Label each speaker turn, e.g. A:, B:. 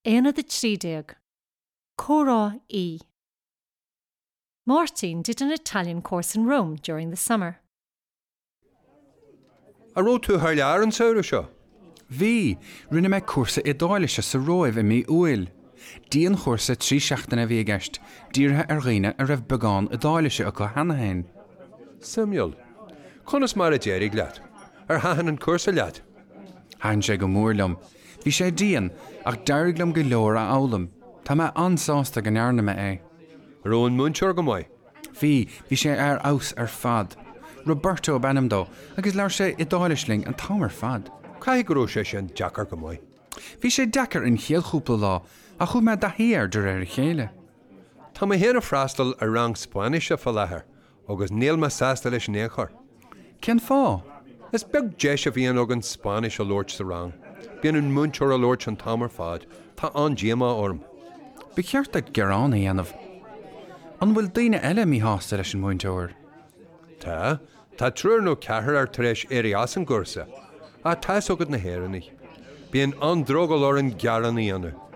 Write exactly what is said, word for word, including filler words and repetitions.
A: Aonad a trí déag. Comhrá E. Máirtín did an Italian course in Rome during the summer.
B: An raibh tú thar lear an samhradh seo?
C: Bhí, rinne mé cúrsa Iodáilise sa Róimh i mí Iúil. Dianchúrsa trí seachtaine a bhí i gceist, dírithe ar dhaoine a raibh beagán Iodáilise acu cheana féin.
B: Suimiúil. Conas mar a d'éirigh leat? Ar thaitin an cúrsa leat?
C: Thaitin sé go mór liom. Bhí sé dian, ach d'éirigh liom go leor a fhoghlaim. Tá mé an-sásta go ndearna mé é.
B: An raibh an múinteoir go maith?
C: Bhí, bhí sé ar fheabhas ar fad. Roberto ab ainm dó, agus labhair sé Iodáilis linn an t-am ar fad.
B: Caithfidh go raibh sé sin deacair go maith.
C: Bhí sé deacair an chéad chúpla lá, ach chuaigh mé i dtaithí air de réir a chéile.
B: Tá mé féin ag freastal ar rang Spáinnise faoi láthair, agus níl mé sásta leis in aon chor.
C: Cén fáth?
B: Is beag deis a bhíonn againn Spáinnis a labhairt sa rang. Bíonn an múinteoir ag labhairt an t-am ar fad, Tá an-díomá orm.
C: Ba cheart duit gearán a dhéanamh. An bhfuil daoine eile míshásta leis an múinteoir?
B: Tá, tá triúr nó ceathrar tar éis éirí as an gcúrsa, ach tá's agat na hÉireannaigh. Bíonn an-drogall orainn gearán a dhéanamh.